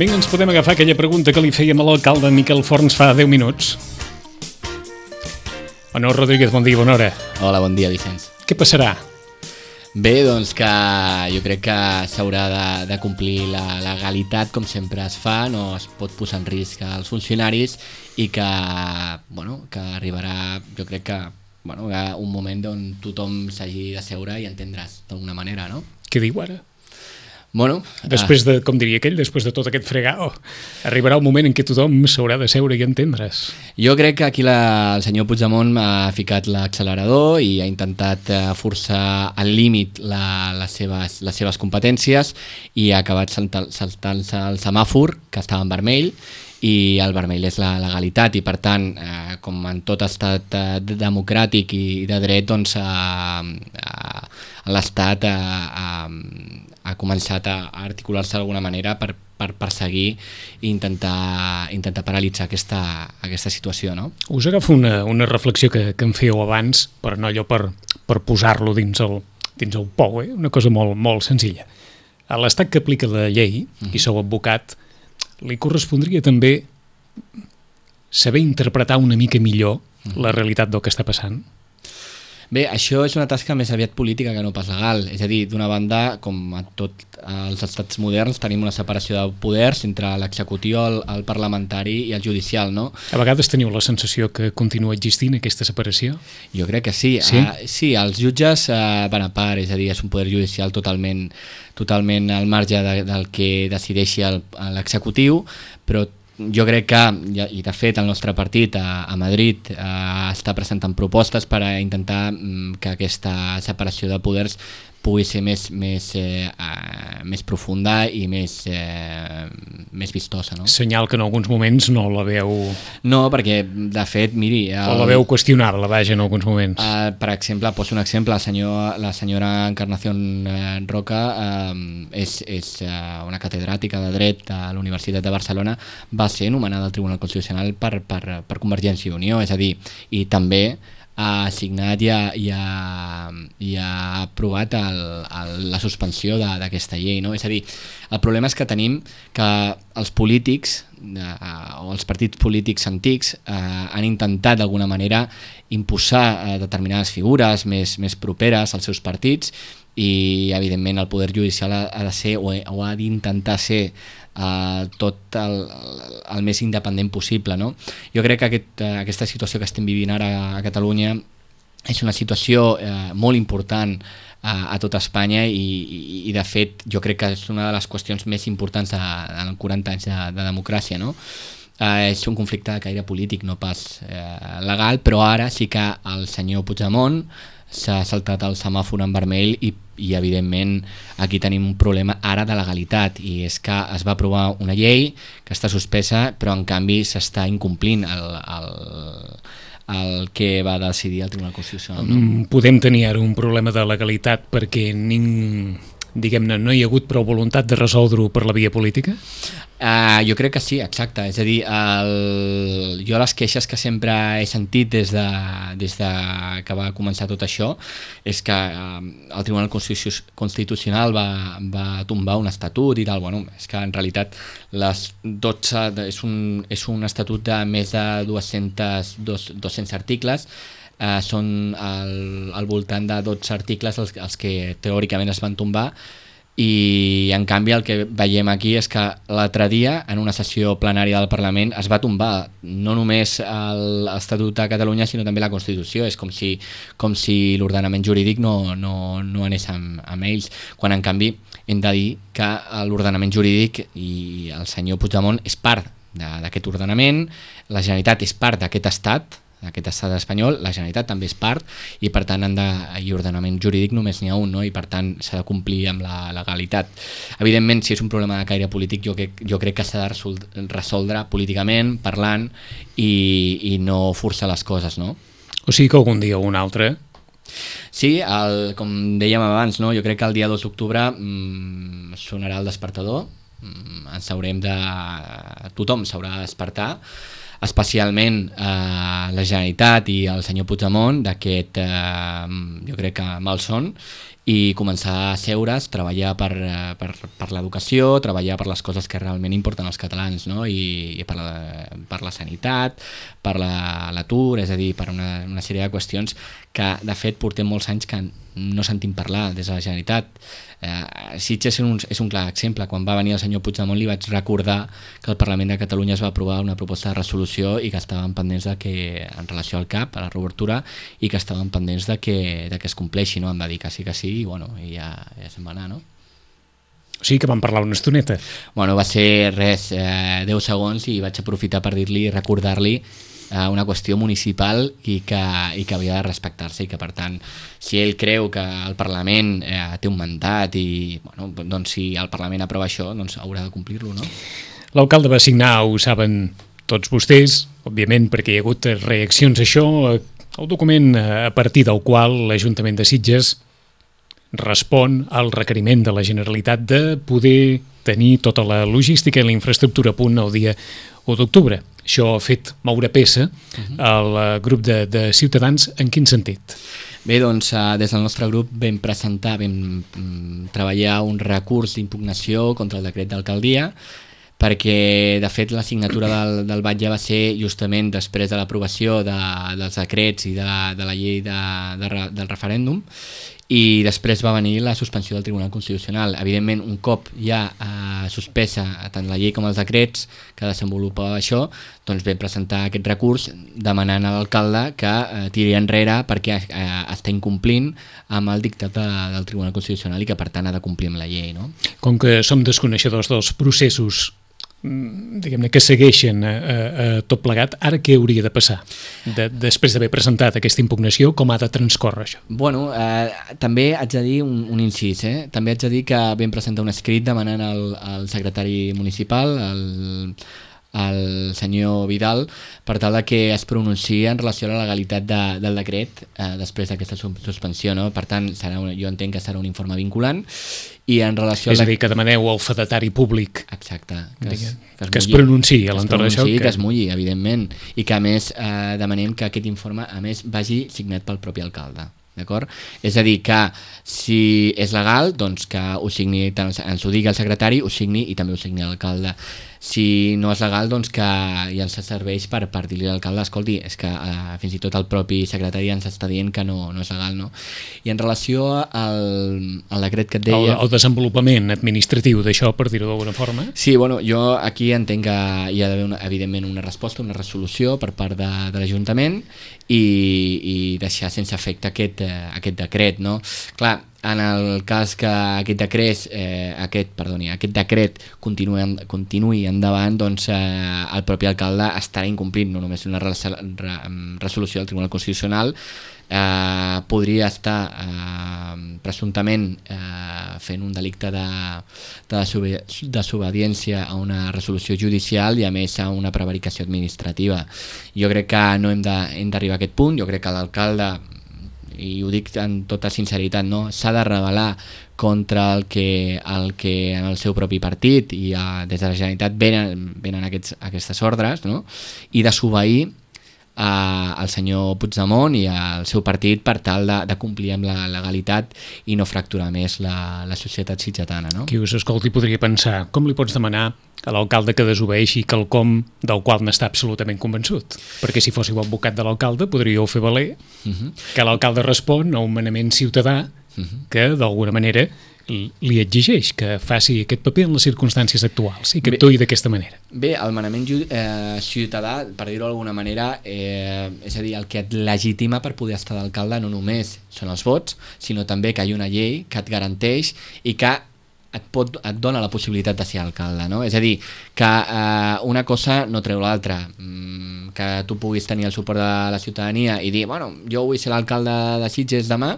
Vinga, ens podem agafar aquella pregunta que li fèiem a l'alcalde Miquel Forns fa 10 minuts. Honor Rodríguez, bon dia, bona hora. Hola, bon dia, Vicenç. Què passarà? Bé, doncs que jo crec que s'haurà de complir la legalitat com sempre es fa, no es pot posar en risc als funcionaris i que arribarà, jo crec que un moment on tothom s'hagi de seure i entendràs d'alguna manera, no? Què diu ara? Bueno, després de, com diria aquell, després de tot aquest fregao, arribarà un moment en què tothom s'haurà de seure i entendre's. Jo crec que aquí el senyor Puigdemont ha ficat l'accelerador i ha intentat forçar al límit les seves competències i ha acabat saltant-se el semàfor, que estava en vermell, i el vermell és la legalitat i per tant, com en tot estat democràtic i de dret, doncs l'estat ha començat a articular-se d'alguna manera per perseguir i intentar paralitzar aquesta situació, no? Us agafo una reflexió que em fèieu abans, però no allò per posar-lo dins el pou, una cosa molt, molt senzilla. A l'estat que aplica la llei, i sou advocat, li correspondria també saber interpretar una mica millor la realitat del que està passant? Bé, això és una tasca més aviat política que no pas legal. És a dir, d'una banda, com a tots els estats moderns, tenim una separació de poders entre l'executiu, el parlamentari i el judicial, no? A vegades teniu la sensació que continua existint aquesta separació? Jo crec que sí. Sí, els jutges van a part, és a dir, és un poder judicial totalment al marge del que decideixi l'executiu, però jo crec que, i de fet el nostre partit a Madrid està presentant propostes per a intentar que aquesta separació de poders pugui ser més profunda i més vistosa, no? Senyal que en alguns moments no la veu... No, perquè de fet, miri... O la veu qüestionable, vaja, en alguns moments. Per exemple, poso un exemple, la senyora Encarnación Roca és una catedràtica de dret a la Universitat de Barcelona, va ser nomenada al Tribunal Constitucional per Convergència i Unió, és a dir, i també ha signat i ha aprovat la suspensió d'aquesta llei, no? És a dir, el problema és que tenim que els polítics o els partits polítics antics han intentat d'alguna manera imposar determinades figures més properes als seus partits i evidentment el poder judicial ha de ser o ha d'intentar ser tot el més independent possible, no? Jo crec que aquesta situació que estem vivint ara a Catalunya és una situació molt important a tot Espanya i de fet jo crec que és una de les qüestions més importants en 40 anys de democràcia, no? És un conflicte de caire polític, no pas legal, però ara sí que el senyor Puigdemont s'ha saltat el semàfor en vermell i evidentment aquí tenim un problema ara de legalitat i és que es va aprovar una llei que està suspesa però en canvi s'està incomplint el que va decidir el Tribunal Constitucional, no? Podem tenir ara un problema de legalitat perquè diguem-ne, no hi ha hagut prou voluntat de resoldre-ho per la via política? Jo crec que sí, exacte. És a dir, jo les queixes que sempre he sentit des de que va començar tot això és que el Tribunal Constitucional va tombar un estatut i tal. Bueno, és que en realitat les 12 és un estatut de més de 200 articles. Són al voltant de 12 articles els que teòricament es van tombar i en canvi el que veiem aquí és que l'altre dia en una sessió plenària del Parlament es va tombar no només l'Estatut de Catalunya sinó també la Constitució. És com si l'ordenament jurídic no anés amb ells, quan en canvi hem de dir que l'ordenament jurídic i el senyor Puigdemont és part d'aquest ordenament, la Generalitat és part d'aquest estat d'aquest estat espanyol, la Generalitat també és part i per tant i ordenament jurídic només n'hi ha un, no? I per tant s'ha de complir amb la legalitat. Evidentment, si és un problema de caire polític, jo crec que s'ha de resoldre políticament, parlant i no forçar les coses, no? O sigui que algun dia o un altre... Sí, com dèiem abans, no? Jo crec que el dia 2 d'octubre sonarà el despertador, tothom s'haurà de despertar, especialment la Generalitat i el senyor Puigdemont d'aquest, jo crec que malson, i començar a seure's, treballar per l'educació, treballar per les coses que realment importen als catalans, no? I per la sanitat, per l'atur, és a dir, per una sèrie de qüestions que de fet portem molts anys que no sentim parlar des de la Generalitat. Sitges és un clar exemple. Quan va venir el senyor Puigdemont li vaig recordar que el Parlament de Catalunya es va aprovar una proposta de resolució i que estaven pendents de que, en relació al CAP, a la reobertura, i que estaven pendents de que es compleixi, no? Em va dir que sí i bueno, i ja se'n va anar, no? O sigui que vam parlar una estoneta. Bueno, va ser 10 segons i vaig aprofitar per dir-li i recordar-li una qüestió municipal i que havia de respectar-se i que, per tant, si ell creu que el Parlament té un mandat i, bueno, doncs si el Parlament aprova això, doncs haurà de complir-lo, no? L'alcalde va signar, ho saben tots vostès, òbviament perquè hi ha hagut reaccions a això, el document a partir del qual l'Ajuntament de Sitges respon al requeriment de la Generalitat de poder tenir tota la logística i la infraestructura a punt el dia 1 d'octubre. Això ha fet moure peça al grup de Ciutadans. En quin sentit? Bé, doncs des del nostre grup vam treballar un recurs d'impugnació contra el decret d'alcaldia, perquè de fet la signatura del batlle va ser justament després de l'aprovació dels decrets i de la llei del referèndum, i després va venir la suspensió del Tribunal Constitucional. Evidentment, un cop ja suspesa tant la llei com els decrets que desenvolupava això, doncs vam presentar aquest recurs demanant a l'alcalde que tiri enrere perquè està incomplint amb el dictat del Tribunal Constitucional i que per tant ha de complir amb la llei, no? Com que som desconeixedors dels processos diguem-ne que segueixen tot plegat, ara què hauria de passar? Després d'haver presentat aquesta impugnació, com ha de transcórrer això? Bueno, també haig de dir un incís, també haig de dir que vam presentar un escrit demanant al secretari municipal, el senyor Vidal, per tal que es pronunciï en relació a la legalitat del decret després d'aquesta suspensió, no? Per tant, jo entenc que serà un informe vinculant i en relació... És a dir, que demaneu al fedatari públic... Exacte. Que es pronunciï a l'entorn d'això. Que es mulli, evidentment, i que a més demanem que aquest informe a més vagi signat pel propi alcalde. D'acord? És a dir, que si és legal, doncs que ho signi, ens ho digui el secretari, ho signi i també ho signi l'alcalde. Si no és legal, doncs que ja ens serveix per dir-li a l'alcalde, escolti, és que fins i tot el propi secretari ens està dient que no és legal, no? I en relació al decret que et deia... El desenvolupament administratiu d'això, per dir-ho d'alguna forma? Sí, bueno, jo aquí entenc que hi ha d'haver evidentment una resposta, una resolució per part de l'Ajuntament i deixar sense efecte aquest decret, no? Clar, en el cas que aquest decret continuï endavant, doncs el propi alcalde estarà incomplint no només una resolució del Tribunal Constitucional, podria estar presumptament fent un delicte de desobediència a una resolució judicial i a més a una prevaricació administrativa. Jo crec que no hem d'arribar a aquest punt. Jo crec que l'alcalde, i ho dic amb tota sinceritat, no, s'ha de rebel·lar contra el que en el seu propi partit i des de la Generalitat venen aquestes ordres, no? I desobeir al senyor Puigdemont i al seu partit per tal de complir amb la legalitat i no fracturar més la societat sitgetana, no? Qui us escolti podria pensar, com li pots demanar a l'alcalde que desobeeixi quelcom del qual n'està absolutament convençut? Perquè si fóssiu advocat de l'alcalde podríeu fer valer que l'alcalde respon a un manament ciutadà que d'alguna manera li exigeix que faci aquest paper en les circumstàncies actuals i que actuï d'aquesta manera. Bé, el manament ciutadà, per dir-ho d'alguna manera, és a dir, el que et legitima per poder estar d'alcalde no només són els vots, sinó també que hi ha una llei que et garanteix i que et dona la possibilitat de ser alcalde, no? És a dir, que una cosa no treu l'altra. que tu puguis tenir el suport de la ciutadania i dir, bueno, jo vull ser l'alcalde de Sitges demà,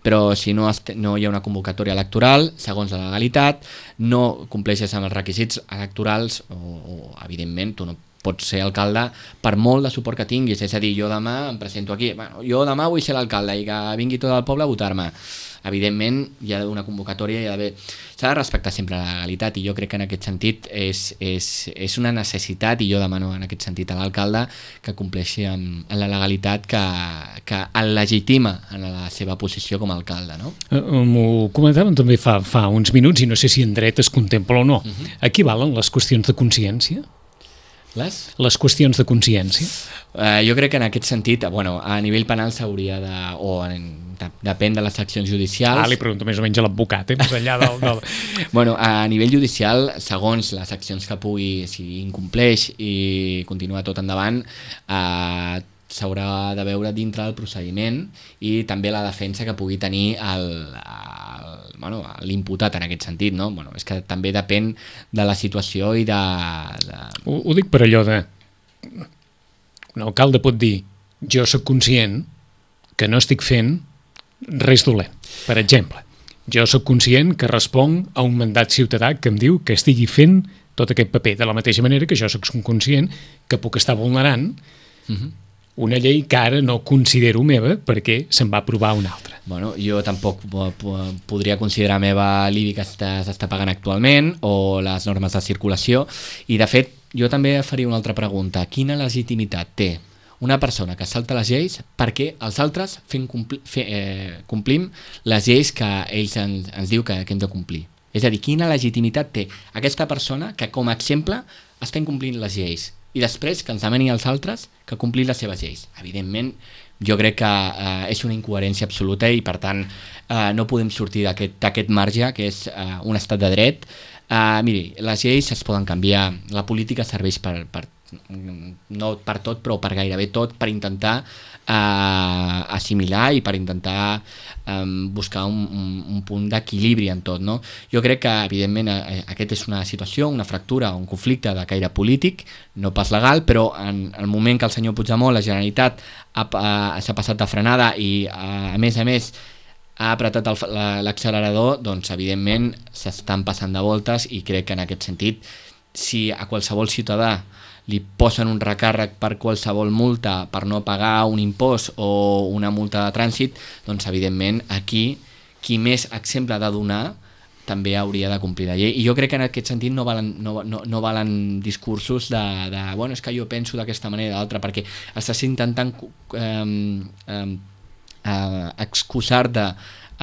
però si no hi ha una convocatòria electoral, segons la legalitat, no compleixes amb els requisits electorals o evidentment, tu no pots ser alcalde per molt de suport que tinguis, és a dir, jo demà em presento aquí, bueno, jo demà vull ser l'alcalde i que vingui tot el poble a votar-me. Evidentment hi ha una convocatòria, s'ha de respectar sempre la legalitat i jo crec que en aquest sentit és una necessitat i jo demano en aquest sentit a l'alcalde que compleixi amb la legalitat que el legitima en la seva posició com a alcalde, no? M'ho comentàvem també fa uns minuts i no sé si en dret es contempla o no. Aquí valen les qüestions de consciència? Les qüestions de consciència? Jo crec que en aquest sentit, bueno, a nivell penal s'hauria depèn de les accions judicials. Li pregunto més o menys a l'advocat, més enllà del... Bueno, a nivell judicial, segons les accions que pugui, si incompleix i continua tot endavant, s'haurà de veure dintre del procediment i també la defensa que pugui tenir l'imputat en aquest sentit, no? Bueno, és que també depèn de la situació i de... Ho dic per allò de... Un alcalde pot dir, jo sóc conscient que no estic fent res dolent. Per exemple, jo sóc conscient que responc a un mandat ciutadà que em diu que estigui fent tot aquest paper, de la mateixa manera que jo sóc conscient que puc estar vulnerant una llei que ara no considero meva perquè se'n va aprovar una altra. Bueno, jo tampoc podria considerar meva l'IBI que s'està pagant actualment o les normes de circulació i de fet jo també faria una altra pregunta. Quina legitimitat té una persona que salta les lleis perquè els altres complim les lleis que ells ens diu que hem de complir? És a dir, quina legitimitat té aquesta persona que com a exemple està incomplint les lleis i després que ens demani als altres que complir les seves lleis? Evidentment, jo crec que és una incoherència absoluta i per tant no podem sortir d'aquest marge que és un estat de dret. Miri, les lleis es poden canviar, la política serveix no per tot però per gairebé tot, per intentar assimilar i per intentar buscar un punt d'equilibri en tot, no? Jo crec que evidentment aquesta és una situació, una fractura, un conflicte de caire polític, no pas legal, però en el moment que el senyor Puigdemont, la Generalitat s'ha passat de frenada i a més ha apretat l'accelerador, doncs evidentment s'estan passant de voltes i crec que en aquest sentit si a qualsevol ciutadà li posen un recàrrec per qualsevol multa per no pagar un impost o una multa de trànsit, doncs evidentment aquí qui més exemple ha de donar també hauria de complir la llei. I jo crec que en aquest sentit no valen discursos de bueno, és que jo penso d'aquesta manera o d'altra, perquè estàs intentant excusar-te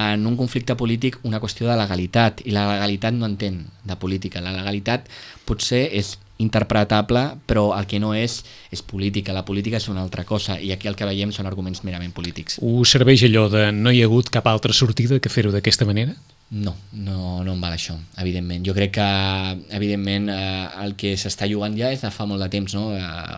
en un conflicte polític una qüestió de legalitat, i la legalitat no entén de política. La legalitat potser és interpretable, però el que no és política. La política és una altra cosa i aquí el que veiem són arguments merament polítics. Us serveix allò de no hi ha hagut cap altra sortida que fer-ho d'aquesta manera? No em val això, evidentment. Jo crec que, evidentment, el que s'està jugant ja és de fa molt de temps, no?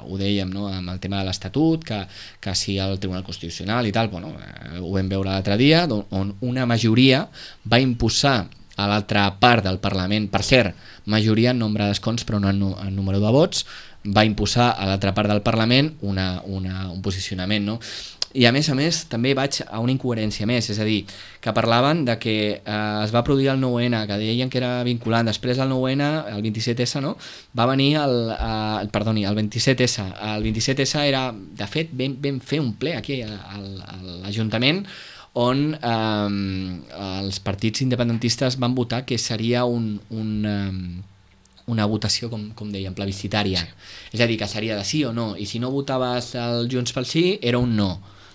Ho dèiem, no? Amb el tema de l'Estatut, que si el Tribunal Constitucional i tal, bueno, ho vam veure l'altre dia, on una majoria va imposar a l'altra part del Parlament, per cert, majoria en nombre d'escons però no en número de vots, va imposar a l'altra part del Parlament un posicionament, no? I a més també vaig a una incoherència més, és a dir, que parlaven de que es va produir el 9-N, que deien que era vinculant, després del 9-N, el 27S, no? Va venir el 27S. El 27S era, de fet, vam fer un ple aquí a l'Ajuntament on els partits independentistes van votar que seria una votació, com dèiem, plebiscitària. Sí. És a dir, que seria de sí o no, i si no votaves el Junts pel Sí, era un no.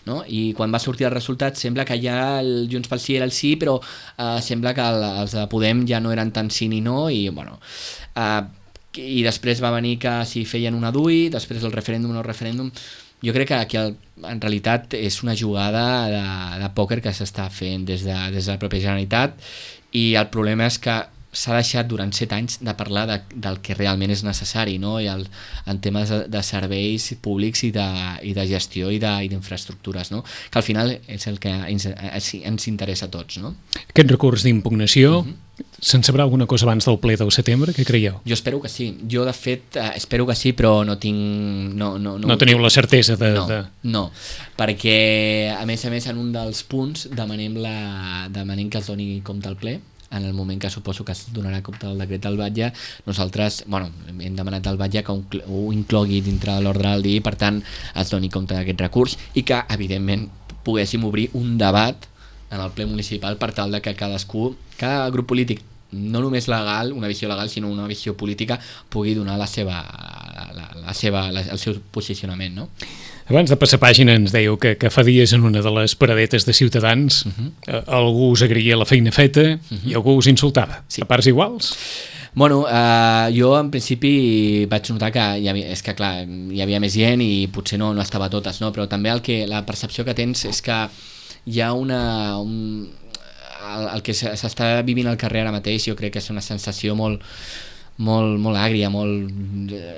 No? I quan va sortir el resultat sembla que ja el Junts pel Sí era el sí, però sembla que els de Podem ja no eren tant sí ni no, i bueno... I després va venir que si feien una DUI, després el referèndum o no referèndum. Jo crec que aquí en realitat és una jugada de pòquer que s'està fent des de la pròpia Generalitat, i el problema és que s'ha deixat durant 7 anys de parlar del que realment és necessari, no? I en temes de serveis públics i de gestió i d'infraestructures, no? Que al final és el que ens interessa a tots, no? Aquest recurs d'impugnació, se'n sabrà alguna cosa abans del ple del setembre? Què creieu? Jo espero que sí. Jo, de fet, espero que sí, però no tinc... No teniu la certesa de... No, perquè, a més, en un dels punts demanem que es doni compte al ple. En el moment que suposo que es donarà compte del decret del Batlle, nosaltres hem demanat al Batlle que ho inclogui dintre de l'ordre del dia i per tant es doni compte d'aquest recurs i que evidentment poguéssim obrir un debat en el ple municipal per tal de que cada grup polític, no només legal, una visió legal, sinó una visió política, pugui donar el seu posicionament, no? Abans de passar pàgina ens dèieu que fa dies en una de les paradetes de Ciutadans algú us agraïa la feina feta i algú us insultava. Sí. A parts iguals? Bueno, jo en principi vaig notar que hi havia més gent i potser no estava a totes, no? Però també la percepció que tens és que hi ha el que s'està vivint al carrer ara mateix, jo crec que és una sensació molt àgria,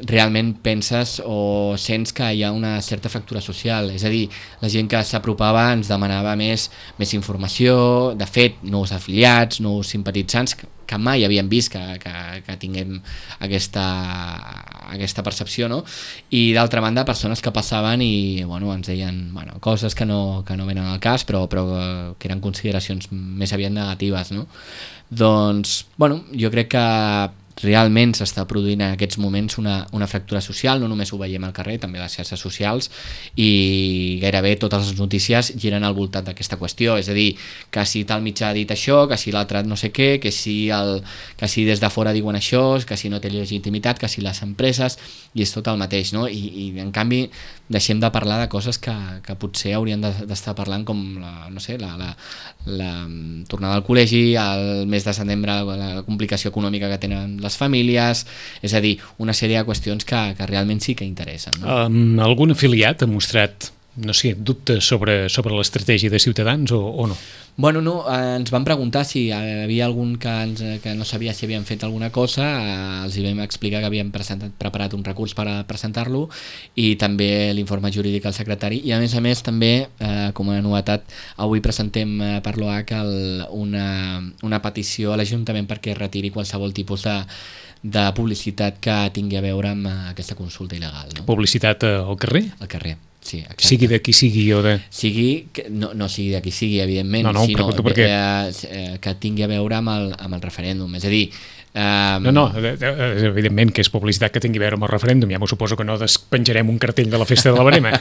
realment penses o sents que hi ha una certa fractura social, és a dir, la gent que s'apropava ens demanava més informació, de fet, nous afiliats, nous simpatitzants, que mai havíem vist que tinguem aquesta percepció, no? I d'altra banda, persones que passaven i ens deien coses que no venen al cas, però que eren consideracions més aviat negatives, no? Doncs, jo crec que realment s'està produint en aquests moments una fractura social, no només ho veiem al carrer, també a les xarxes socials, i gairebé totes les notícies giren al voltant d'aquesta qüestió, és a dir, que si tal mitjà ha dit això, que si l'altre no sé què, que si des de fora diuen això, que si no té legitimitat, que si les empreses, i és tot el mateix, no? I en canvi deixem de parlar de coses que potser haurien d'estar parlant, com la tornada al col·legi, el mes de setembre, la complicació econòmica que tenen les famílies, és a dir, una sèrie de qüestions que realment sí que interessen, no? Algun afiliat ha mostrat, no sé, dubtes sobre l'estratègia de Ciutadans o no? Bueno, no, ens van preguntar si hi havia algun que no sabia si havien fet alguna cosa, els hi vam explicar que havíem preparat un recurs per presentar-lo i també l'informe jurídic al secretari i a més també, com a novetat, avui presentem per l'OH una petició a l'Ajuntament perquè retiri qualsevol tipus de publicitat que tingui a veure amb aquesta consulta il·legal, no? Publicitat al carrer? Al carrer. Sí, exacte. Sigui de qui sigui o de... No sigui de qui sigui, evidentment, sinó que tingui a veure amb el referèndum. És a dir... evidentment que és publicitat que tingui a veure amb el referèndum, ja m'ho suposo que no despenjarem un cartell de la festa de la Verema,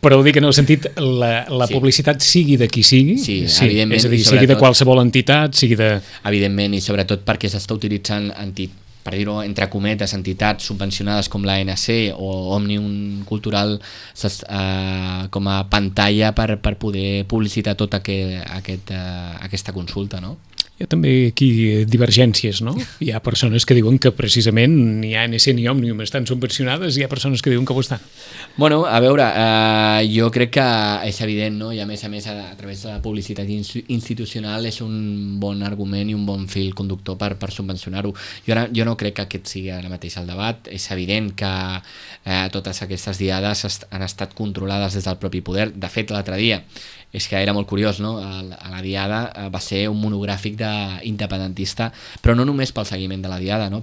però ho dic en el sentit, la publicitat sigui de qui sigui, evidentment, és a dir, sigui de qualsevol entitat, sigui de... Evidentment, i sobretot perquè s'està utilitzant per dir-ho entre cometes, entitats subvencionades com l'ANC o Òmnium Cultural com a pantalla per poder publicitar tota aquesta consulta, no? Hi ha també aquí divergències, no? Hi ha persones que diuen que precisament ni ANC ni Òmnium estan subvencionades i hi ha persones que diuen que ho estan. Bueno, a veure, jo crec que és evident, no? I a més a través de la publicitat institucional és un bon argument i un bon fil conductor per subvencionar-ho. Jo no crec que aquest sigui ara mateix el debat. És evident que totes aquestes diades han estat controlades des del propi poder. De fet, l'altre dia és que era molt curiós, no? A la Diada va ser un monogràfic independentista, però no només pel seguiment de la Diada, no?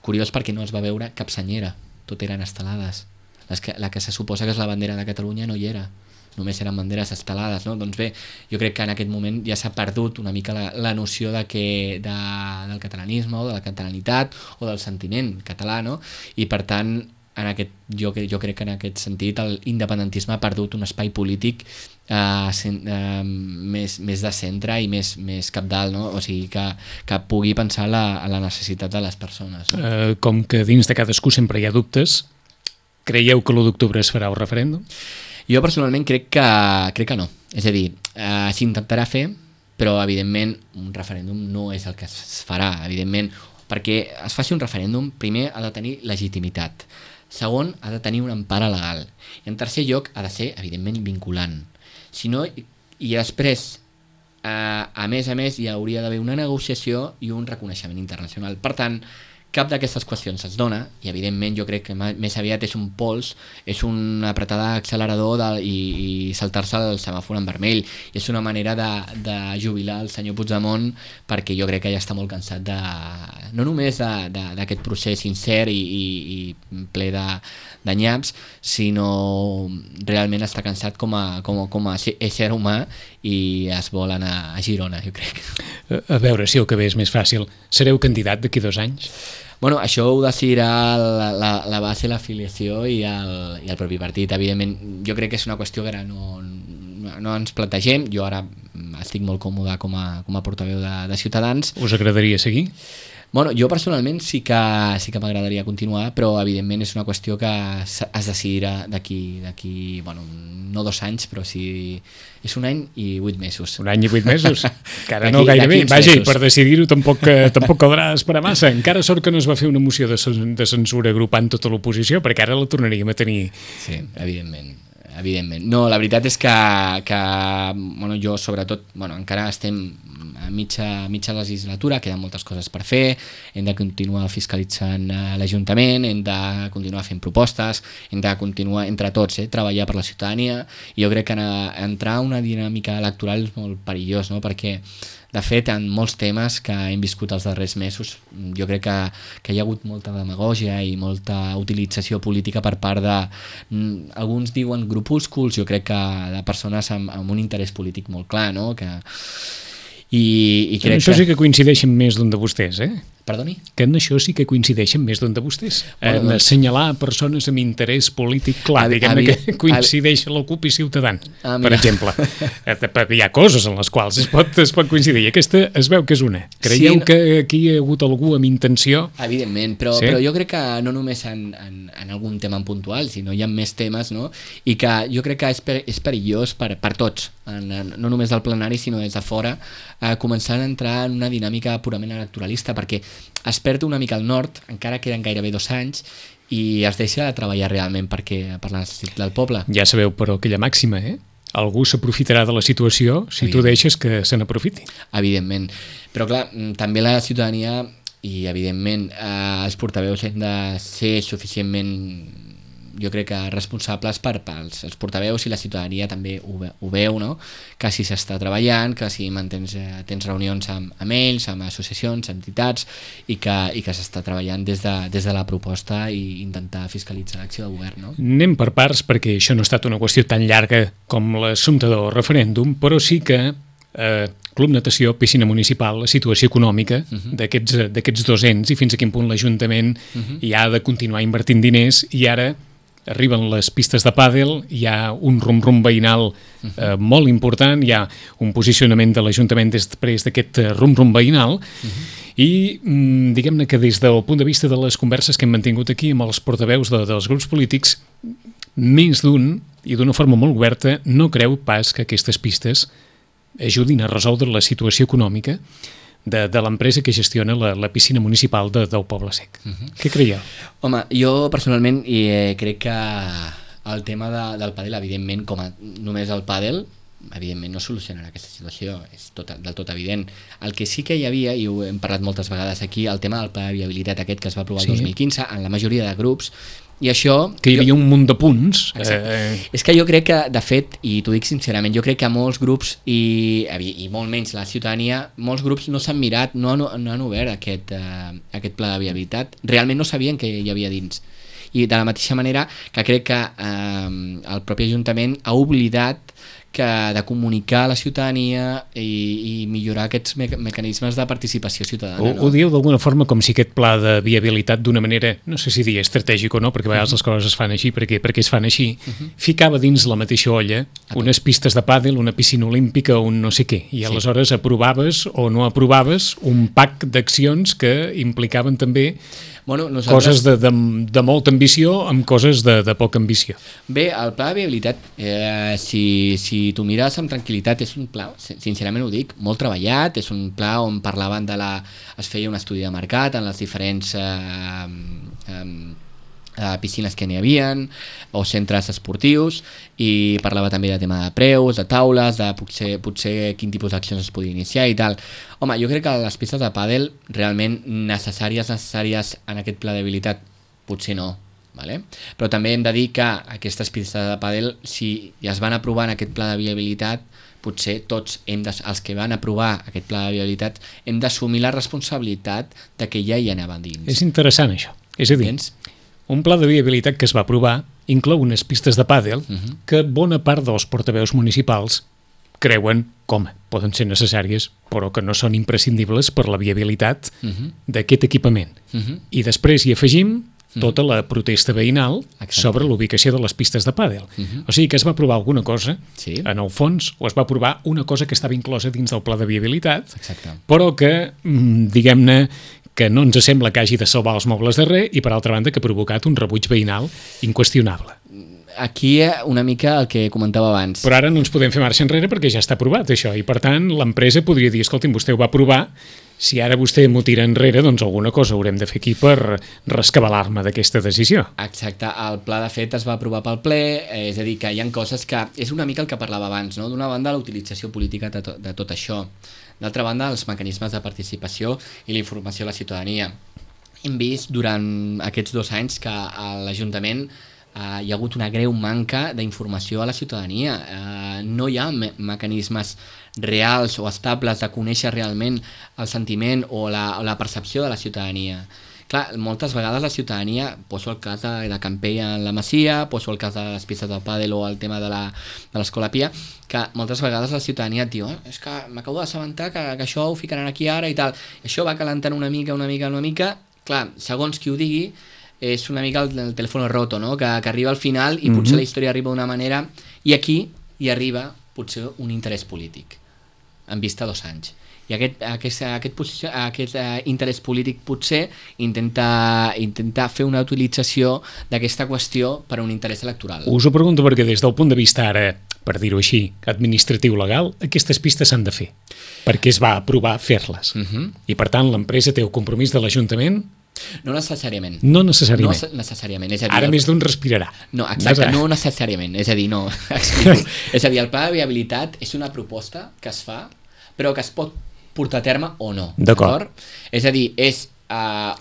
Curiós perquè no es va veure cap senyera, tot eren estelades. La que se suposa que és la bandera de Catalunya no hi era, només eren banderes estelades, no? Doncs bé, jo crec que en aquest moment ja s'ha perdut una mica la noció del catalanisme o de la catalanitat o del sentiment català, no? I per tant, jo crec que en aquest sentit l'independentisme ha perdut un espai polític més de centre i més cabdal, no? O sigui, que pugui pensar a la necessitat de les persones, no? Com que dins de cadascú sempre hi ha dubtes, creieu que l'1 d'octubre es farà el referèndum? Jo personalment crec que no. És a dir, s'intentarà fer, però evidentment un referèndum no és el que es farà, evidentment, perquè es faci un referèndum, primer ha de tenir legitimitat, segon ha de tenir una empara legal i en tercer lloc ha de ser evidentment vinculant. Si no, i després a més, hi hauria d'haver una negociació i un reconeixement internacional. Per tant, cap d'aquestes qüestions es dona, i evidentment jo crec que més aviat és un pols, és un apretar l'accelerador i saltar-se el semàfor en vermell, i és una manera de jubilar el senyor Puigdemont, perquè jo crec que ja està molt cansat no només d'aquest procés sincer i ple de nyaps, sinó realment està cansat com a ésser humà, i es vol anar a Girona, jo crec. A veure si el que ve és més fàcil. Sereu candidat d'aquí 2 anys? Bueno, això ho decidirà la base, l'afiliació i el propi partit. Evidentment, jo crec que és una qüestió que ara no ens plantegem. Jo ara estic molt còmode com a portaveu de Ciutadans. Us agradaria seguir? Bueno, jo personalment sí que m'agradaria continuar, però evidentment és una qüestió que es decidirà d'aquí, bueno, no 2 anys, però sí és 1 any i 8 mesos. 1 any i 8 mesos? Encara no gairebé. Vaja, i per decidir-ho tampoc caldrà esperar massa. Encara sort que no es va fer una moció de censura agrupant tota l'oposició, perquè ara la tornaríem a tenir. Sí, evidentment. No, la veritat és que bueno, jo sobretot, encara estem a mitja legislatura, queden moltes coses per fer, hem de continuar fiscalitzant l'Ajuntament, hem de continuar fent propostes, hem de continuar entre tots, treballar per la ciutadania, i jo crec que entrar en una dinàmica electoral és molt perillós, no? Perquè de fet, en molts temes que hem viscut els darrers mesos, jo crec que hi ha hagut molta demagògia i molta utilització política per part de, alguns diuen grupúsculs, jo crec que de persones amb un interès polític molt clar, no? I crec això sí que coincideixen més d'un de vostès, Perdoni? Que en això sí que coincideixen més d'un de vostès. En assenyalar persones amb interès polític clar, diguem-ne que coincideix la CUP i Ciutadans, per exemple. Hi ha coses en les quals es pot coincidir, i aquesta es veu que és una. Creieu que aquí hi ha hagut algú amb intenció? Evidentment, però jo crec que no només en algun tema en puntual, sinó hi ha més temes, no? I que jo crec que és perillós per tots, no només del plenari, sinó des de fora, començant a entrar en una dinàmica purament electoralista, perquè es perd una mica el nord, encara queden gairebé 2 anys, i es deixa de treballar realment per la necessitat del poble. Ja sabeu, però aquella màxima, algú s'aprofitarà de la situació si tu deixes que se n'aprofiti. Evidentment, però clar, també la ciutadania i evidentment els portaveus hem de ser suficientment, jo crec que responsables els portaveus, i la ciutadania també ho veu, no? Que si s'està treballant, que si tens reunions amb ells, amb associacions, entitats, i que s'està treballant des de la proposta i intentar fiscalitzar l'acció de govern, no? Anem per parts, perquè això no ha estat una qüestió tan llarga com l'assumpte del referèndum, però sí que Club Natació, Piscina Municipal, la situació econòmica d'aquests 2 ens, i fins a quin punt l'Ajuntament hi ha de continuar invertint diners, i ara arriben les pistes de pàdel, hi ha un rum-rum veïnal molt important, hi ha un posicionament de l'Ajuntament després d'aquest rum-rum veïnal, i diguem-ne que des del punt de vista de les converses que hem mantingut aquí amb els portaveus dels grups polítics, més d'un, i d'una forma molt oberta, no creu pas que aquestes pistes ajudin a resoldre la situació econòmica de l'empresa que gestiona la piscina municipal del Poble Sec. Què creieu? Home, jo personalment crec que el tema del pàdel, evidentment, com només el pàdel, evidentment no solucionarà aquesta situació, és del tot evident. El que sí que hi havia, i ho hem parlat moltes vegades aquí, el tema del pla de viabilitat aquest que es va aprovar el 2015 en la majoria de grups, i això... Que hi havia un munt de punts. És que jo crec que, de fet, i t'ho dic sincerament, jo crec que molts grups, i molt menys la ciutadania, molts grups no s'han mirat, no han obert aquest pla de viabilitat. Realment no sabien què hi havia dins. I de la mateixa manera que crec que el propi Ajuntament ha oblidat de comunicar a la ciutadania i millorar aquests mecanismes de participació ciutadana. Ho dieu d'alguna forma com si aquest pla de viabilitat, d'una manera, no sé si dir estratègic o no, perquè a vegades les coses es fan així, perquè es fan així, ficava dins la mateixa olla unes pistes de pàdel, una piscina olímpica, un no sé què, i aleshores aprovaves o no aprovaves un pack d'accions que implicaven també coses de molta ambició amb coses de poca ambició. Bé, el pla de viabilitat, si tu mires amb tranquil·litat, és un pla, sincerament ho dic, molt treballat, és un pla on parlaven es feia un estudi de mercat en les diferents piscines que n'hi havien o centres esportius, i parlava també de tema de preus, de taules, de potser quin tipus d'accions es podia iniciar i tal. Home, jo crec que les pistes de pàdel realment necessàries en aquest pla d'habilitat potser no, vale? Però també hem de dir que aquestes pistes de pàdel, si ja es van aprovar en aquest pla de viabilitat, potser tots els que van aprovar aquest pla de viabilitat hem d'assumir la responsabilitat de que ja hi anava dins. És interessant això, és a dir, un pla de viabilitat que es va aprovar inclou unes pistes de pàdel que bona part dels portaveus municipals creuen com poden ser necessàries, però que no són imprescindibles per la viabilitat d'aquest equipament. I després hi afegim tota la protesta veïnal sobre l'ubicació de les pistes de pàdel. O sigui que es va aprovar alguna cosa, en el fons, o es va aprovar una cosa que estava inclosa dins del pla de viabilitat, però que, diguem-ne, que no ens sembla que hagi de salvar els mobles de res i, per altra banda, que ha provocat un rebuig veïnal inqüestionable. Aquí una mica el que comentava abans. Però ara no ens podem fer marxa enrere perquè ja està aprovat, això, i per tant l'empresa podria dir, escolti'm, vostè ho va aprovar, si ara vostè m'ho tira enrere, doncs alguna cosa haurem de fer aquí per rescabalar-me d'aquesta decisió. Exacte, el pla de fet es va aprovar pel ple, és a dir, que hi ha coses que... És una mica el que parlava abans, no? D'una banda, la utilització política de tot això. D'altra banda, els mecanismes de participació i la informació a la ciutadania. Hem vist durant aquests 2 anys que a l'Ajuntament hi ha hagut una greu manca d'informació a la ciutadania. No hi ha mecanismes reals o estables de conèixer realment el sentiment o la percepció de la ciutadania. Clar, moltes vegades la ciutadania, poso el cas de Campella en la Masia, poso el cas de les pistes del pàdel o el tema de l'Escola Pia, que moltes vegades la ciutadania et diu és que m'acabo d'assabentar que això ho ficaran aquí ara i tal. I això va calentant una mica. Clar, segons qui ho digui, és una mica el telèfon roto, no? Que arriba al final i potser la història arriba d'una manera i aquí hi arriba potser un interès polític en vista a 2 anys. I aquest interès polític potser intenta fer una utilització d'aquesta qüestió per a un interès electoral. Us ho pregunto perquè des del punt de vista ara, per dir-ho així, administratiu-legal, aquestes pistes s'han de fer, perquè es va aprovar fer-les. I per tant l'empresa té el compromís de l'Ajuntament. No necessàriament. No necessàriament. No necessàriament. És a dir, ara més d'un respirarà. No, exacte, no necessàriament. És a dir, no. És a dir, el pla de viabilitat és una proposta que es fa, però que es pot portar a terme o no. D'acord. És a dir, és...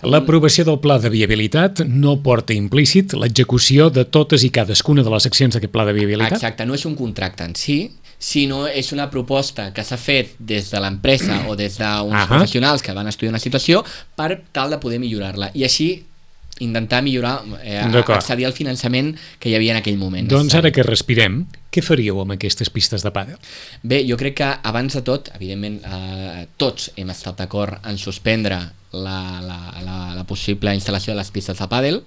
L'aprovació del pla de viabilitat no porta implícit l'execució de totes i cadascuna de les accions d'aquest pla de viabilitat? Exacte, no és un contracte en si, sinó és una proposta que s'ha fet des de l'empresa o des d'uns professionals que van estudiar una situació per tal de poder millorar-la. I així intentar millorar, accedir al finançament que hi havia en aquell moment. Doncs ara que respirem, què faríeu amb aquestes pistes de pàdel? Bé, jo crec que abans de tot, evidentment, tots hem estat d'acord en suspendre la possible instal·lació de les pistes de pàdel,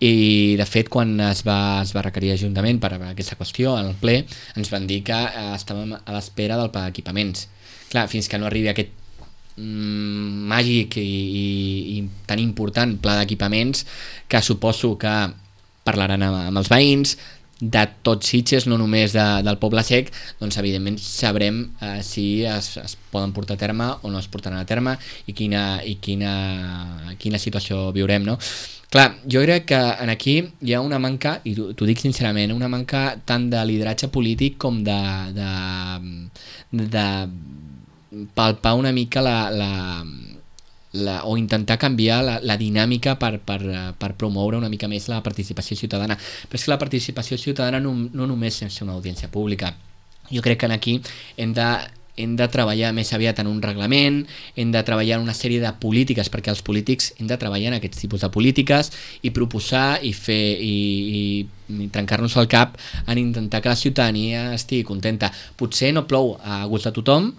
i de fet quan es va requerir l'Ajuntament per aquesta qüestió en el ple ens van dir que estàvem a l'espera del pla d'equipaments. Clar, fins que no arribi aquest màgic i tan important pla d'equipaments, que suposo que parlaran amb els veïns de tots Sitges, no només del Poble Sec, doncs evidentment sabrem si es poden portar a terme o no es portaran a terme i quina situació viurem, no? Clar, jo crec que aquí hi ha una manca, i t'ho dic sincerament, una manca tant de lideratge polític com de palpar una mica o intentar canviar la dinàmica per promoure una mica més la participació ciutadana. Però és que la participació ciutadana no només és una audiència pública. Jo crec que aquí hem de treballar més aviat en un reglament, hem de treballar en una sèrie de polítiques, perquè els polítics hem de treballar en aquests tipus de polítiques i proposar i fer i trencar-nos el cap en intentar que la ciutadania estigui contenta. Potser no plou a gust de tothom,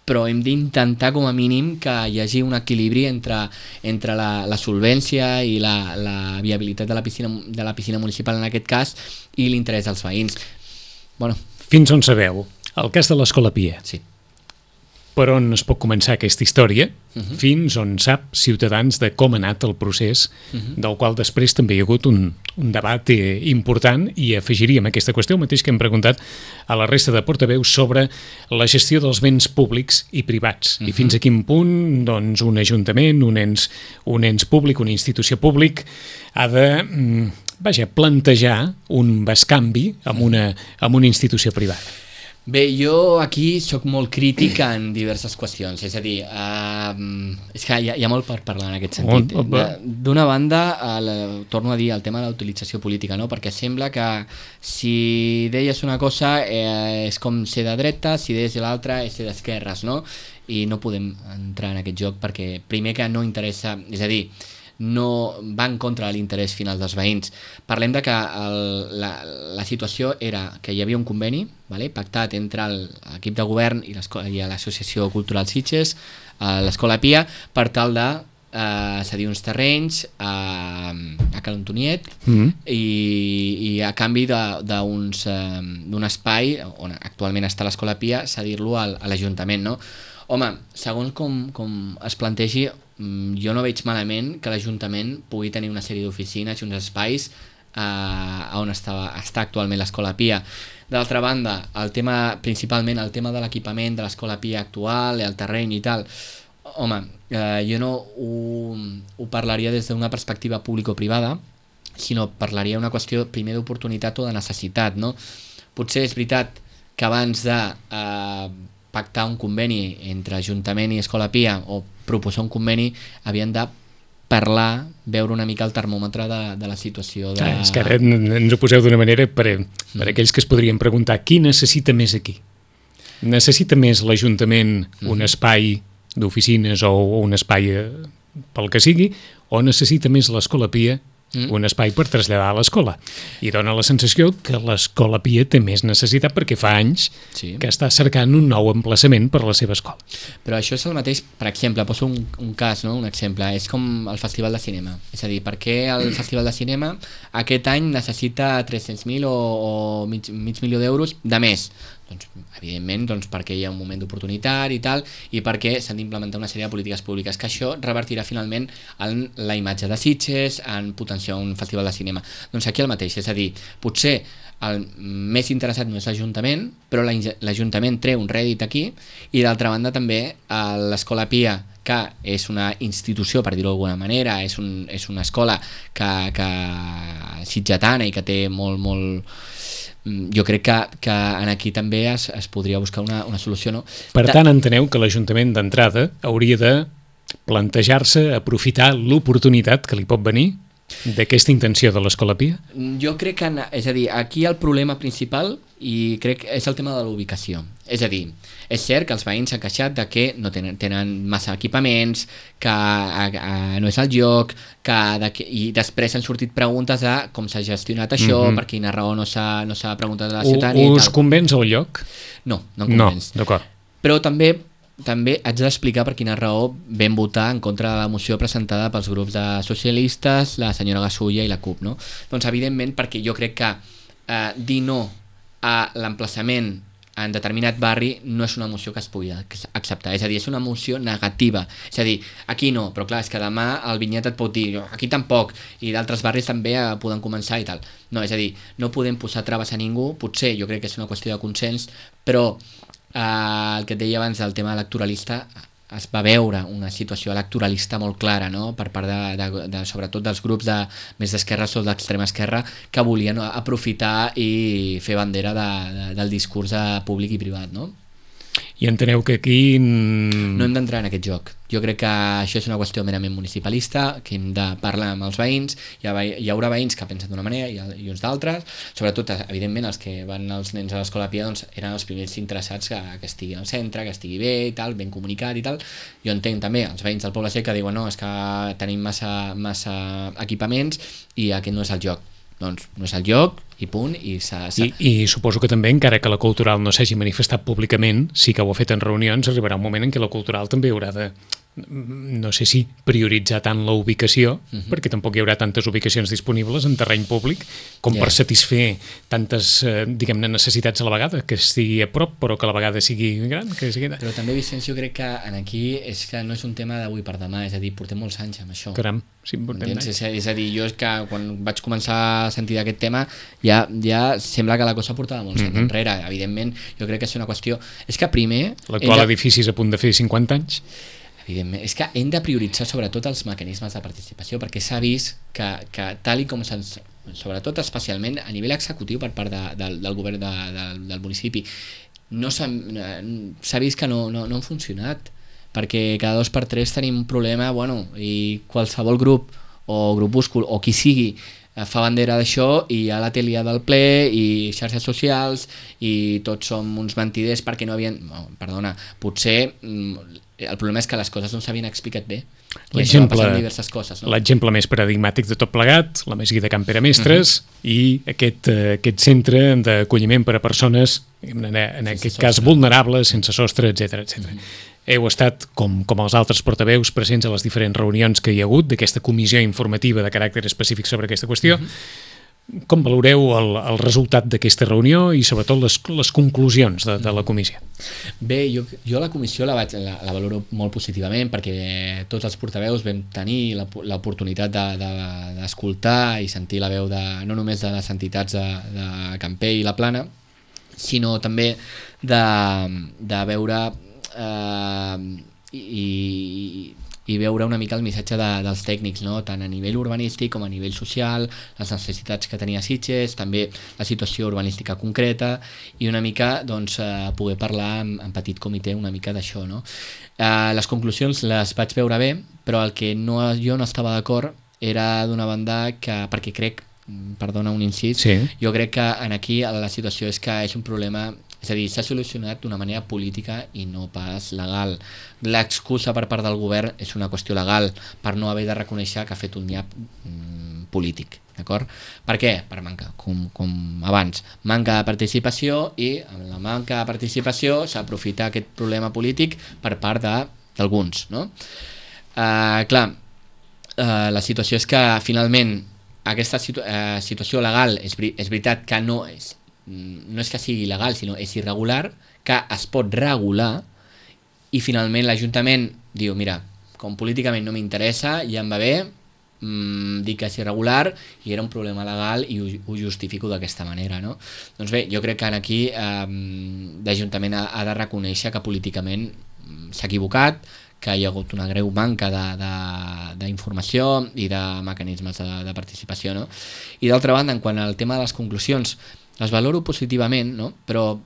però hem d'intentar com a mínim que hi hagi un equilibri entre la solvència i la viabilitat de la piscina municipal en aquest cas i l'interès dels veïns. Fins on sabeu? El cas de l'Escola Pia. Sí. per on es pot començar aquesta història, fins on sap Ciutadans de com ha anat el procés, del qual després també hi ha hagut un debat important, i afegiríem aquesta qüestió, el mateix que hem preguntat a la resta de portaveus sobre la gestió dels béns públics i privats, i fins a quin punt doncs, un ajuntament, un ens públic, una institució públic, ha de plantejar un bescanvi amb una institució privada. Bé, jo aquí sóc molt crític en diverses qüestions, és a dir, és que hi ha molt per parlar en aquest sentit. D'una banda, torno a dir el tema de la utilització política, no? Perquè sembla que si deies una cosa és com ser de dreta, si deies l'altra és ser d'esquerres, no? I no podem entrar en aquest joc perquè primer que no interessa, és a dir, no va en contra de l'interès final dels veïns. Parlem de que la situació era que hi havia un conveni pactat entre l'equip de govern i l'Associació Cultural Sitges, l'Escola Pia, per tal de cedir uns terrenys a Cal Antoniet i a canvi d'un espai on actualment està l'Escola Pia, cedir-lo a l'Ajuntament, no? Home, segons com es plantegi, jo no veig malament que l'Ajuntament pugui tenir una sèrie d'oficines i uns espais on està actualment l'Escola Pia. D'altra banda, principalment el tema de l'equipament de l'Escola Pia actual, el terreny i tal, home, jo no ho parlaria des d'una perspectiva público-privada, sinó parlaria una qüestió primer d'oportunitat o de necessitat, no? Potser és veritat que abans de pactar un conveni entre Ajuntament i Escola Pia o proposar un conveni havien de parlar, veure una mica el termòmetre de la situació. És que ara ens ho poseu d'una manera per aquells que es podrien preguntar qui necessita més aquí? Necessita més l'Ajuntament un espai d'oficines o un espai pel que sigui, o necessita més l'Escola Pia un espai per traslladar a l'escola? I dona la sensació que l'Escola Pia té més necessitat perquè fa anys que està cercant un nou emplaçament per a la seva escola. Però això és el mateix, per exemple, poso un cas, no? Un exemple, és com el Festival de Cinema. És a dir, per què el Festival de Cinema aquest any necessita 300.000 o mig milió d'euros de més? Doncs, evidentment, perquè hi ha un moment d'oportunitat i tal, i perquè s'han d'implementar una sèrie de polítiques públiques, que això revertirà finalment en la imatge de Sitges, en potenciar un festival de cinema. Doncs aquí el mateix, és a dir, potser el més interessat no és l'Ajuntament, però l'Ajuntament treu un rèdit aquí, i d'altra banda també l'Escola Pia, que és una institució, per dir-ho d'alguna manera, és una escola que sitgetana i que té molt jo crec que aquí també es podria buscar una solució, no? Per tant, enteneu que l'Ajuntament d'entrada hauria de plantejar-se, aprofitar l'oportunitat que li pot venir d'aquesta intenció de l'Escola Pia? Jo crec que, és a dir, aquí el problema principal i crec que és el tema de la ubicació. És a dir, és cert que els veïns s'han queixat de que no tenen massa equipaments, que no és el lloc, i després han sortit preguntes de com s'ha gestionat això, per quina raó no s'ha preguntat a la ciutadania. Us convenç el lloc? No em convenç. No, d'acord. Però també haig d'explicar per quina raó vam votar en contra de la moció presentada pels grups de socialistes, la senyora Gasulla i la CUP, no? Doncs evidentment perquè jo crec que dir no a l'emplaçament en determinat barri no és una moció que es pugui acceptar, és a dir, és una moció negativa, és a dir, aquí no, però clar, és que demà el Vinyet et pot dir aquí tampoc, i d'altres barris també poden començar i tal, no, és a dir, no podem posar traves a ningú, potser jo crec que és una qüestió de consens, però el que et deia abans del tema electoralista, es va veure una situació electoralista molt clara, no? Per part sobretot dels grups més d'esquerres o d'extrema esquerra que volien aprofitar i fer bandera del discurs públic i privat, no? I enteneu que aquí... No hem d'entrar en aquest joc. Jo crec que això és una qüestió merament municipalista, que hem de parlar amb els veïns, hi haurà veïns que pensen d'una manera i uns d'altres, sobretot, evidentment, els que van els nens a l'Escola Pia doncs, eren els primers interessats que estigui al centre, que estigui bé i tal, ben comunicat i tal. Jo entenc també els veïns del Poble Sec que diuen no, és que tenim massa equipaments i aquest no és el joc. Doncs no és el lloc i punt. I suposo que també, encara que la Cultural no s'hagi manifestat públicament, sí que ho ha fet en reunions, arribarà un moment en què la Cultural també haurà de no sé si prioritzar tant la ubicació, perquè tampoc hi haurà tantes ubicacions disponibles en terreny públic com per satisfer tantes, diguem-ne, necessitats a la vegada, que estigui a prop però que a la vegada sigui gran. Però també, Vicenç, jo crec que aquí és que no és un tema d'avui per demà, és a dir, portem molts anys amb això. Caram, sí, portem anys. És a dir, jo és que quan vaig començar a sentir d'aquest tema ja sembla que la cosa portava molts anys enrere. Evidentment, jo crec que és una qüestió... És que primer... L'actual edifici és a punt de fer 50 anys. Evidentment, és que hem de prioritzar sobretot els mecanismes de participació, perquè s'ha vist que tal i com sobretot especialment a nivell executiu per part del govern del municipi s'ha vist que no han funcionat, perquè cada 2 per 3 tenim un problema, i qualsevol grup o grupúscul o qui sigui fa bandera d'això i ja la té liada al ple i xarxes socials i tots som uns mentiders perquè no havien... Perdona, potser el problema és que les coses no s'havien explicat bé i això va passar amb diverses coses, no? L'exemple més paradigmàtic de tot plegat, la Mesguida Can Pere Mestres i aquest centre d'acolliment per a persones en aquest cas vulnerables, sense sostre, etc. Heu estat, com els altres portaveus, presents a les diferents reunions que hi ha hagut d'aquesta comissió informativa de caràcter específic sobre aquesta qüestió. Com valoreu el resultat d'aquesta reunió i sobretot les conclusions de la comissió? Bé, jo la comissió la valoro molt positivament perquè tots els portaveus vam tenir l'oportunitat d'escoltar i sentir la veu no només de les entitats de Camper i la Plana, sinó també de veure i veure una mica el missatge dels tècnics, no? Tant a nivell urbanístic com a nivell social, les necessitats que tenia Sitges, també la situació urbanística concreta i una mica poder parlar en petit comitè una mica d'això, no? Les conclusions les vaig veure bé, però el que jo no estava d'acord era d'una banda perquè crec, perdona un incís, jo crec que aquí la situació és que és un problema. És a dir, s'ha solucionat d'una manera política i no pas legal. L'excusa per part del govern és una qüestió legal, per no haver de reconèixer que ha fet un nyap polític, d'acord? Per què? Per manca, com abans, manca de participació i amb la manca de participació s'aprofita aquest problema polític per part d'alguns, no? Clar, la situació és que finalment aquesta situació legal és veritat que no és que sigui il·legal, sinó és irregular, que es pot regular i finalment l'Ajuntament diu, mira, com políticament no m'interessa, ja em va bé, dic que és irregular i era un problema legal i ho justifico d'aquesta manera, no? Doncs bé, jo crec que aquí l'Ajuntament ha de reconèixer que políticament s'ha equivocat, que hi ha hagut una greu manca d'informació i de mecanismes de participació, no? I d'altra banda, en quant al tema de les conclusions, les valoro positivament, no? Però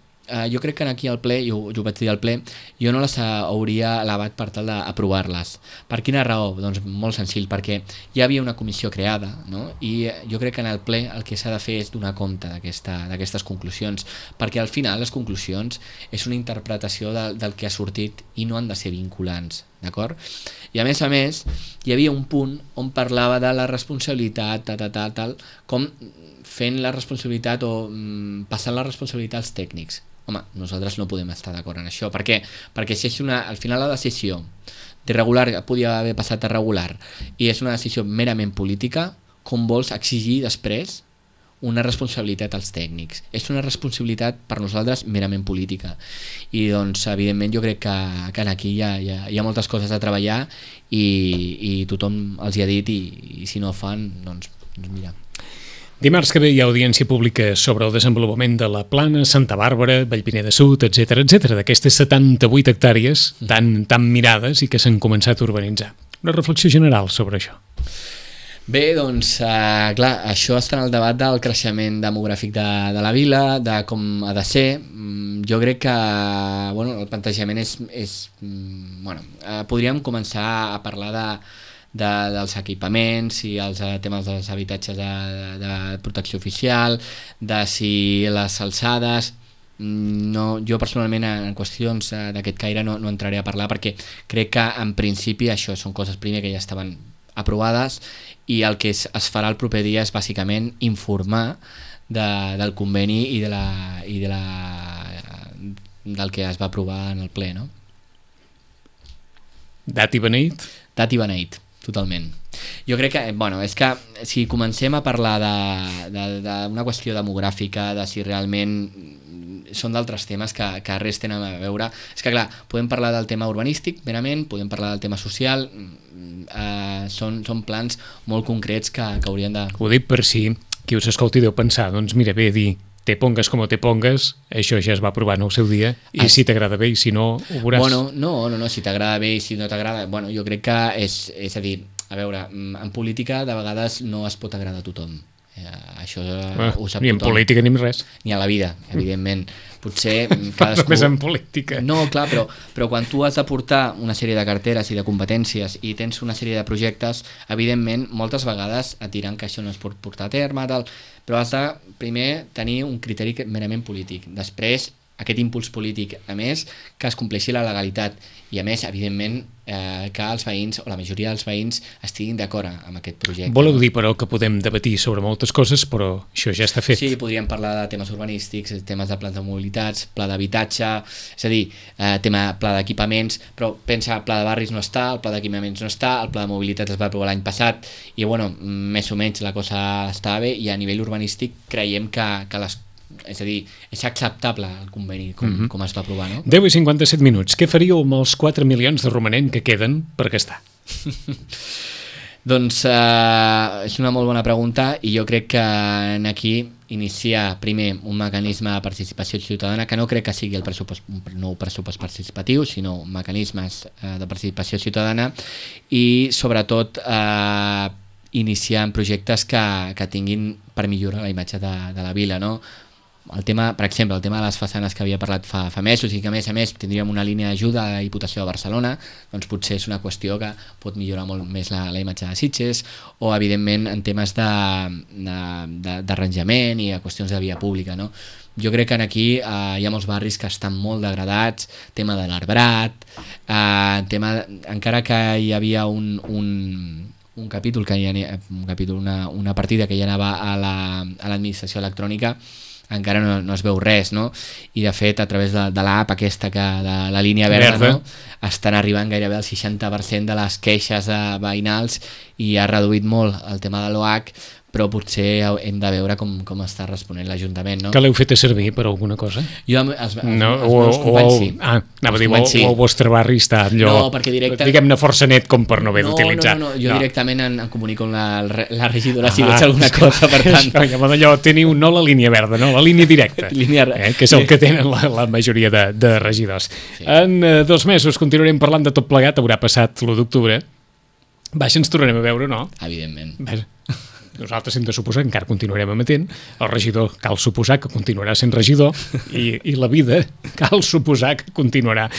jo crec que aquí al ple, jo ho vaig dir al ple, jo no les hauria elevat per tal d'aprovar-les. Per quina raó? Doncs molt senzill, perquè ja havia una comissió creada, no? I jo crec que en el ple el que s'ha de fer és donar compte d'aquestes conclusions, perquè al final les conclusions és una interpretació del que ha sortit i no han de ser vinculants, d'acord? I a més, hi havia un punt on parlava de la responsabilitat, tal, com fent la responsabilitat o passant la responsabilitat als tècnics. Home, nosaltres no podem estar d'acord en això. Per què? Perquè si és al final la decisió d'irregular podia haver passat a regular i és una decisió merament política, com vols exigir després una responsabilitat als tècnics? És una responsabilitat per nosaltres merament política i doncs evidentment jo crec que aquí hi ha moltes coses a treballar i tothom els hi ha dit i si no ho fan, doncs mira. Dimarts que ve hi ha audiència pública sobre el desenvolupament de la Plana, Santa Bàrbara, Vallpineda Sud, etc, d'aquestes 78 hectàrees tan mirades i que s'han començat a urbanitzar. Una reflexió general sobre això. Bé, doncs, clar, això està en el debat del creixement demogràfic de la vila, de com ha de ser. Jo crec que el plantejament podríem començar a parlar dels equipaments i els temes dels habitatges de protecció oficial, de si les alçades... jo personalment en qüestions d'aquest caire no entraré a parlar perquè crec que en principi això són coses primer que ja estaven aprovades i el que es farà el proper dia és bàsicament informar del conveni i del que es va aprovar en el ple, no? Dat i beneït? Dat i beneït, totalment. Jo crec que, és que si comencem a parlar d'una qüestió demogràfica, de si realment són d'altres temes que res tenen a veure, és que clar, podem parlar del tema urbanístic merament, podem parlar del tema social, són plans molt concrets que haurien de... Ho dic per si qui us escolti deu pensar, doncs mira, bé dir te pongues com te pongues, això ja es va aprovar en el seu dia, i si t'agrada bé i si no, ho veuràs. No, si t'agrada bé i si no t'agrada... Jo crec que és a dir, a veure, en política de vegades no es pot agradar a tothom. Això ho sap ni en tothom. Política ni en res. Ni a la vida, evidentment. Potser cadascú... Només en política. No, clar, però quan tu has de portar una sèrie de carteres i de competències i tens una sèrie de projectes, evidentment, moltes vegades et diran que això no es pot portar a terme, tal, però has de primer tenir un criteri merament polític. Després, aquest impuls polític, a més, que es compleixi la legalitat i, a més, evidentment, que els veïns, o la majoria dels veïns, estiguin d'acord amb aquest projecte. Voleu dir, però, que podem debatir sobre moltes coses, però això ja està fet. Sí, podríem parlar de temes urbanístics, temes de plans de mobilitats, pla d'habitatge, és a dir, pla d'equipaments, però pensa, el pla de barris no està, el pla d'equipaments no està, el pla de mobilitat es va aprovar l'any passat, i, més o menys la cosa està bé, i a nivell urbanístic creiem que és a dir, és acceptable el conveni com es va aprovar, no? 10 i 57 minuts. Què faríeu amb els 4 milions de romanent que queden per gastar? Doncs és una molt bona pregunta i jo crec que aquí iniciar primer un mecanisme de participació ciutadana, que no crec que sigui un nou pressupost participatiu, sinó mecanismes de participació ciutadana i sobretot iniciar en projectes que tinguin per millorar la imatge de la vila, no? El tema, per exemple, el tema de les façanes que havia parlat fa mesos i que a més tindríem una línia d'ajuda a la Diputació de Barcelona, doncs potser és una qüestió que pot millorar molt més la imatge de Sitges, o evidentment en temes d'arranjament i a qüestions de via pública, no? Jo crec que aquí hi ha molts barris que estan molt degradats, tema de l'arbrat, encara que hi havia un capítol, una partida que ja anava a l'administració electrònica, encara no es veu res, no? I de fet a través de l'app aquesta de la línia verda, no? Estan arribant gairebé el 60% de les queixes veïnals i ha reduït molt el tema de l'OH, però potser hem de veure com està responent l'Ajuntament, no? Que l'heu fet servir per alguna cosa? Jo, els meus companys sí. Anava a dir, o el vostre barri està allò, diguem-ne força net com per no haver d'utilitzar. No, jo directament em comunico amb la regidora si veig alguna cosa, per tant... Allò, teniu no la línia verda, no, la línia directa, que és el que tenen la majoria de regidors. Sí. En 2 mesos continuarem parlant de tot plegat, haurà passat l'1 d'octubre. Vaja, ens tornarem a veure, no? Evidentment. Nosaltres hem de suposar que encara continuarem emetent, el regidor cal suposar que continuarà sent regidor i la vida cal suposar que continuarà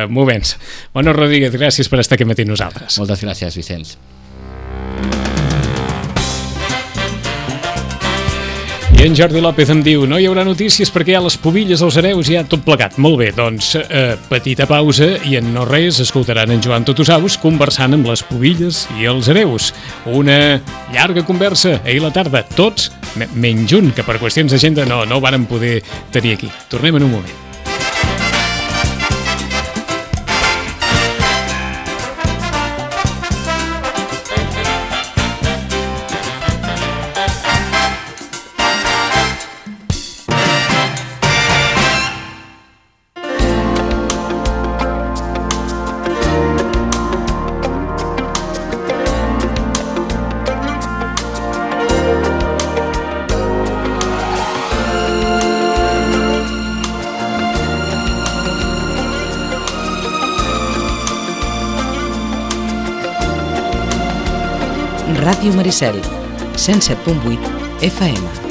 movent-se. Bueno, Rodríguez, gràcies per estar aquí matí nosaltres. Moltes gràcies, Vicenç. I en Jordi López em diu, no hi haurà notícies perquè hi ha les pubilles, els hereus, ja tot plegat. Molt bé, doncs petita pausa i en no res escoltaran en Joan Totosaus conversant amb les pubilles i els hereus. Una llarga conversa ahir a la tarda, tots, menys un, que per qüestions d'agenda no ho varen poder tenir aquí. Tornem en un moment. Ràdio Maricel, 107.8 FM.